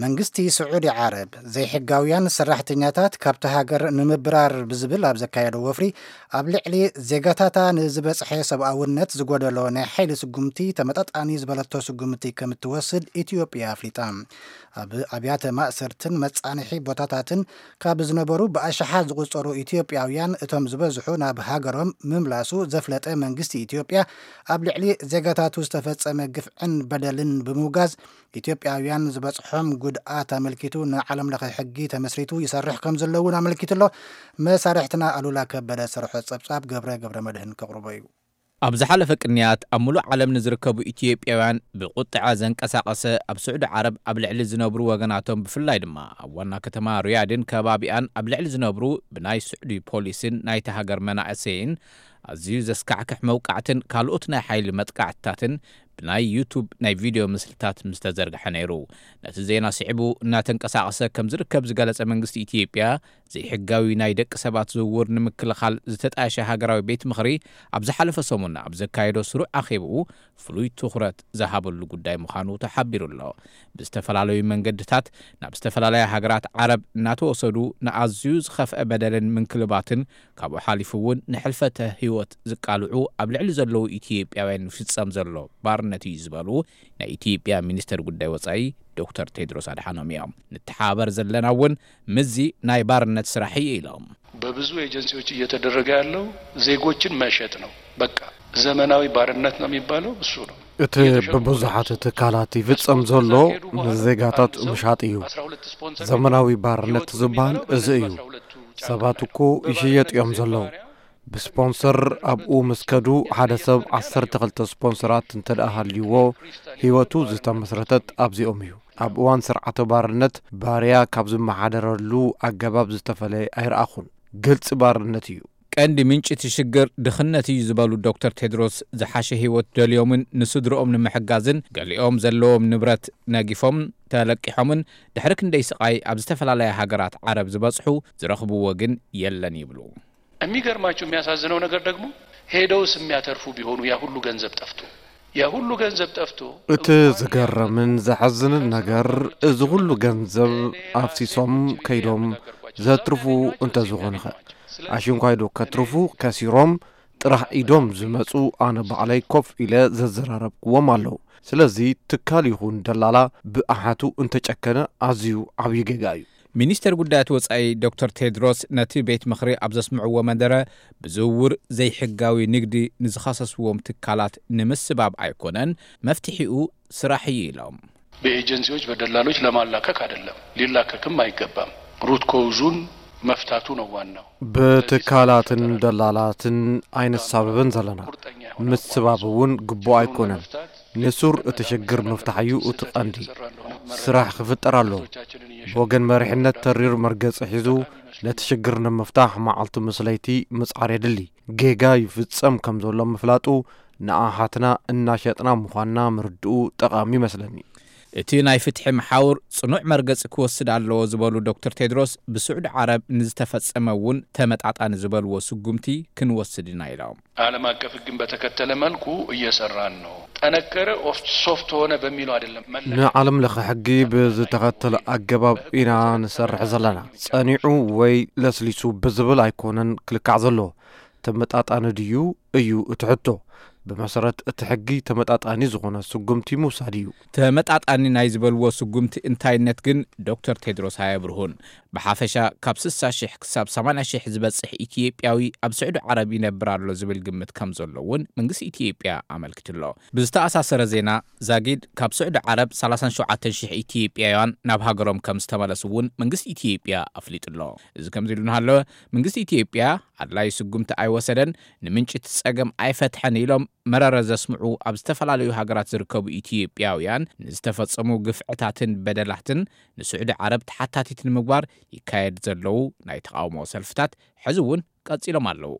መንግስቲ ስዑዲ ዓረብ ዘይሕጋውያን ሰራሕተኛታት ካብቲ ሃገር ንምብራር ብዝብል ኣብ ዘካየዶ ወፍሪ፣ ኣብ ልዕሊ ዜጋታታ ንዝበጽሐ ሰብኣውነት ዝጎደሎ ናይ ሓይሊ ስጉምቲ ተመጣጣኒ ዝበለቶ ስጉምቲ ከም እትወስድ ኢትዮጵያ ኣፍሊጣ። ኣብ ኣብያተ ማእሰርትን መጻንሒ ቦታታትን ካብ ዝነበሩ ብኣሽሓት ዝቑጸሩ ኢትዮጵያውያን እቶም ዝበዝሑ ናብ ሃገሮም ምምላሱ ዘፍለጠ መንግስቲ ኢትዮጵያ፣ ኣብ ልዕሊ ዜጋታቱ ዝተፈጸመ ግፍዕን በደልን ብምውጋዝ፣ ኢትዮጵያውያን ዝበጽሖም ጉድኣት ኣመልኪቱ ንዓለም ለኸ ሕጊ ተመስሪቱ ይሰርሕ ከም ዘሎ እውን ኣመልኪቱ ኣሎ። መሳርሕትና ኣሉላ ከበደ ዝሰርሖ ጸብጻብ ገብረ ገብረ መድህን ከቕርቦ እዩ። ኣብ ዝሓለፈ ቅንያት ኣብ ሙሉእ ዓለም ንዝርከቡ ኢትዮጵያውያን ብቁጥዐ ዘንቀሳቐሰ፣ ኣብ ስዑዲ ዓረብ ኣብ ልዕሊ ዝነብሩ ወገናቶም፣ ብፍላይ ድማ ኣብ ዋና ከተማ ሪያድን ከባቢኣን ኣብ ልዕሊ ዝነብሩ ብናይ ስዑዲ ፖሊስን ናይቲ ሃገር መናእሰይን ኣዝዩ ዘስካሕክሕ መውቃዕትን ካልኦት ናይ ሓይሊ መጥቃዕትታትን ብናይ ዩቱብ ናይ ቪድዮ ምስልታት ምስ ተዘርግሐ ነይሩ። ነቲ ዜና ስዒቡ እናተንቀሳቐሰ ከም ዝርከብ ዝገለጸ መንግስቲ ኢትዮጵያ፣ ዘይሕጋዊ ናይ ደቂ ሰባት ዝውውር ንምክልኻል ዝተጣየሸ ሃገራዊ ቤት ምኽሪ ኣብ ዝሓለፈ ሰሙን ኣብ ዘካየዶ ስሩዕ ኣኼብኡ ፍሉይ ትኹረት ዝሃበሉ ጉዳይ ምዃኑ ተሓቢሩ ኣሎ። ብዝተፈላለዩ መንገድታት ናብ ዝተፈላለያ ሃገራት ዓረብ እናተወሰዱ ንኣዝዩ ዝኸፍአ በደልን ምንክልባትን ካብኡ ሓሊፉ እውን ንሕልፈተ ህይወት ዝቃልዑ ኣብ ልዕሊ ዘለዉ ኢትዮጵያውያን ዝፍጸም ዘሎ ባርነት እዩ ዝበሉ ናይ ኢትዮጵያ ሚኒስተር ጉዳይ ወጻኢ ዶክተር ቴድሮስ ኣድሓኖም እዮም። ንተሓባበር ዘለና እውን ምስዚ ናይ ባርነት ስራሕ እዩ ኢሎም። በብዙ ኤጀንሲዎች እየተደረገ ያለው ዜጎችን መሸጥ ነው። በቃ ዘመናዊ ባርነት ነው የሚባለው እሱ ነው። እቲ ብብዙሓት ትካላት ይፍጸም ዘሎ ንዜጋታት ምሻጥ እዩ። ዘመናዊ ባርነት ዝበሃል እዚ እዩ። ሰባት እኮ ይሽየጥ እዮም ዘለዉ። ብስፖንሰር ኣብኡ ምስ ከዱ፣ ሓደ ሰብ ዓሰርተ ክልተ ስፖንሰራት እንተ ደኣ ሃልይዎ፣ ህይወቱ ዝተመስረተት ኣብዚኦም እዩ። ኣብ እዋን ስርዓተ ባርነት፣ ባርያ ካብ ዝመሓደረሉ ኣገባብ ዝተፈለየ ኣይረኣኹን። ግልጺ ባርነት እዩ። ቀንዲ ምንጪ እቲ ሽግር ድኽነት እዩ ዝበሉ ዶክተር ቴድሮስ፣ ዝሓሸ ህይወት ደልዮምን ንስድርኦም ንምሕጋዝን ገሊኦም ዘለዎም ንብረት ነጊፎም ተለቂሖምን ድሕሪ ክንደይ ስቓይ ኣብ ዝተፈላለያ ሃገራት ዓረብ ዝበጽሑ ዝረኽብዎ ግን የለን ይብሉ። የሚገርማችሁ የሚያሳዝነው ነገር ደግሞ ሄደውስ የሚያተርፉ ቢሆኑ ያ ሁሉ ገንዘብ ጠፍቶ ያ ሁሉ ገንዘብ ጠፍቶ እቲ ዝገርምን ዘሐዝንን ነገር እዚ ኩሉ ገንዘብ ኣፍሲሶም ከይዶም ዘትርፉ እንተዝኾኑኸ? ኣሽንኳይዶ ከትርፉ ከሲሮም ጥራሕ ኢዶም ዝመጹ ኣነ ባዕለይ ኮፍ ኢለ ዘዘራረብክዎም ኣለዉ። ስለዚ ትካል ይኹን ደላላ ብኣሓቱ እንተጨከነ ኣዝዩ ዓብዪ ጌጋ እዩ። ሚኒስተር ጉዳያት ወጻኢ ዶክተር ቴድሮስ ነቲ ቤት ምኽሪ ኣብ ዘስምዕዎ መደረ ብዝውውር ዘይሕጋዊ ንግዲ ንዝኸሰስዎም ትካላት ንምስባብ ኣይኮነን መፍትሒኡ ስራሕ እዩ ኢሎም። በኤጀንሲዎች በደላሎች ለማላከክ አይደለም፣ ሊላከክም አይገባም። ሩት ኮውዙን መፍታቱ ነው ዋናው። ብትካላትን ደላላትን ኣይንሳበብን ዘለና። ምስባብ እውን ግቡእ ኣይኮነን። ንሱር እቲ ሽግር ምፍታሕ እዩ እቲ ቀንዲ። ስራሕ ክፍጠር ኣለዎ። ብወገን መሪሕነት ተሪር መርገጺ ሒዙ ነቲ ሽግር ንምፍታሕ መዓልቲ ምስ ለይቲ ምጽዓር የድሊ። ጌጋ ይፍጸም ከም ዘሎ ምፍላጡ ንኣሓትና እናሸጥና ምዃንና ምርድኡ ጠቓሚ ይመስለኒ። እቲ ናይ ፍትሒ መሓውር ጽኑዕ መርገጺ ክወስድ ኣለዎ ዝበሉ ዶክተር ቴድሮስ፣ ብስዑዲ ዓረብ ንዝተፈጸመ እውን ተመጣጣኒ ዝበልዎ ስጉምቲ ክንወስድ ኢና ኢሎም። ዓለም አቀፍ ሕግን በተከተለ መልኩ እየሰራን ነው። ጠነከረ ኦፍ ሶፍት ሆነ በሚለው አይደለም መለካት። ንዓለም ለኸ ሕጊ ብዝተኸተለ ኣገባብ ኢና ንሰርሕ ዘለና። ጸኒዑ ወይ ለስሊሱ ብዝብል ኣይኮነን ክልካዕ ዘለዎ። ተመጣጣኒ ድዩ እዩ እቲ ሕቶ። ብመሰረት እቲ ሕጊ ተመጣጣኒ ዝኾነ ስጉምቲ ምውሳድ እዩ። ተመጣጣኒ ናይ ዝበልዎ ስጉምቲ እንታይነት ግን ዶክተር ቴድሮስ ኣየብርሁን። ብሓፈሻ ካብ ስሳ ሽሕ ክሳብ ሰማንያ ሽሕ ዝበጽሕ ኢትዮጵያዊ ኣብ ስዑዲ ዓረብ ይነብር ኣሎ ዝብል ግምት ከም ዘሎ እውን መንግስቲ ኢትዮጵያ ኣመልኪቱ ኣሎ። ብዝተኣሳሰረ ዜና፣ ዛጊድ ካብ ስዑዲ ዓረብ ሰላሳን ሸውዓተን ሽሕ ኢትዮጵያውያን ናብ ሃገሮም ከም ዝተመለሱ እውን መንግስቲ ኢትዮጵያ ኣፍሊጡ ኣሎ። እዚ ከምዚ ኢሉ እናሃለወ፣ መንግስቲ ኢትዮጵያ ኣድላዪ ስጉምቲ ኣይወሰደን፣ ንምንጪ እቲ ጸገም ኣይፈትሐን ኢሎም መረረ ዘስምዑ ኣብ ዝተፈላለዩ ሃገራት ዝርከቡ ኢትዮጵያውያን ንዝተፈጸሙ ግፍዕታትን በደላትን ንስዑዲ ዓረብ ተሓታቲት ንምግባር ይካየድ ዘለዉ ናይ ተቓውሞ ሰልፍታት ሕዚ እውን ቀጺሎም ኣለዉ።